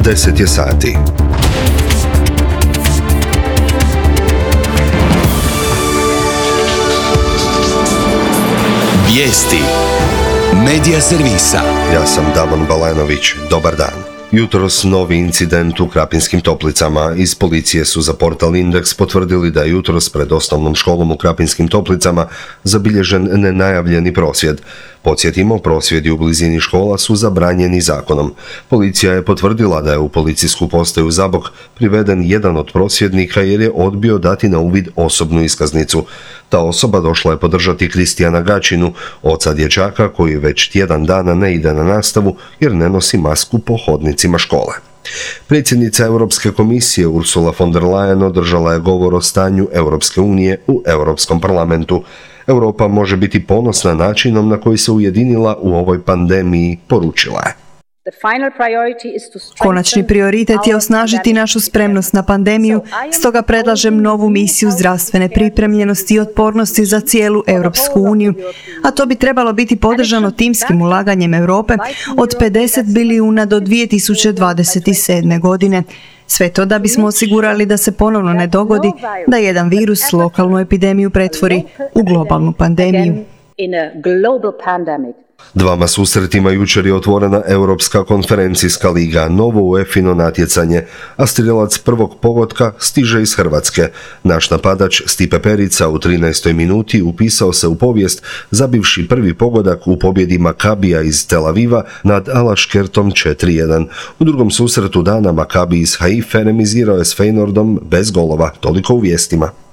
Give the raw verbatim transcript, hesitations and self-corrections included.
deset je sati. Vijesti Medija servisa. Ja sam Damon Balanović. Dobar dan. Jutros novi incident u Krapinskim Toplicama. Iz policije su za portal Indeks potvrdili da je jutros pred osnovnom školom u Krapinskim Toplicama zabilježen nenajavljeni prosvjed. Podsjetimo, prosvjedi u blizini škola su zabranjeni zakonom. Policija je potvrdila da je u policijsku postaju Zabok priveden jedan od prosvjednika jer je odbio dati na uvid osobnu iskaznicu. Ta osoba došla je podržati Kristijana Gačinu, oca dječaka koji već tjedan dana ne ide na nastavu jer ne nosi masku po hodnicima škole. Predsjednica Europske komisije Ursula von der Leyen održala je govor o stanju Europske unije u Europskom parlamentu. Europa može biti ponosna načinom na koji se ujedinila u ovoj pandemiji, poručila je. Konačni prioritet je osnažiti našu spremnost na pandemiju, stoga predlažem novu misiju zdravstvene pripremljenosti i otpornosti za cijelu Europsku uniju, a to bi trebalo biti podržano timskim ulaganjem Europe od pedeset bilijuna do dvije tisuće dvadeset sedme. godine. Sve to da bismo osigurali da se ponovno ne dogodi da jedan virus lokalnu epidemiju pretvori u globalnu pandemiju. Dvama susretima jučer je otvorena Europska konferencijska liga, novo UEFA-ino natjecanje, a strijelac prvog pogotka stiže iz Hrvatske. Naš napadač Stipe Perica u trinaestoj minuti upisao se u povijest zabivši prvi pogodak u pobjedi Makabija iz Tel Aviva nad Alaškertom četiri jedan. U drugom susretu dana Makabi iz Haife remizirao je s Feyenoordom bez golova, toliko u vijestima.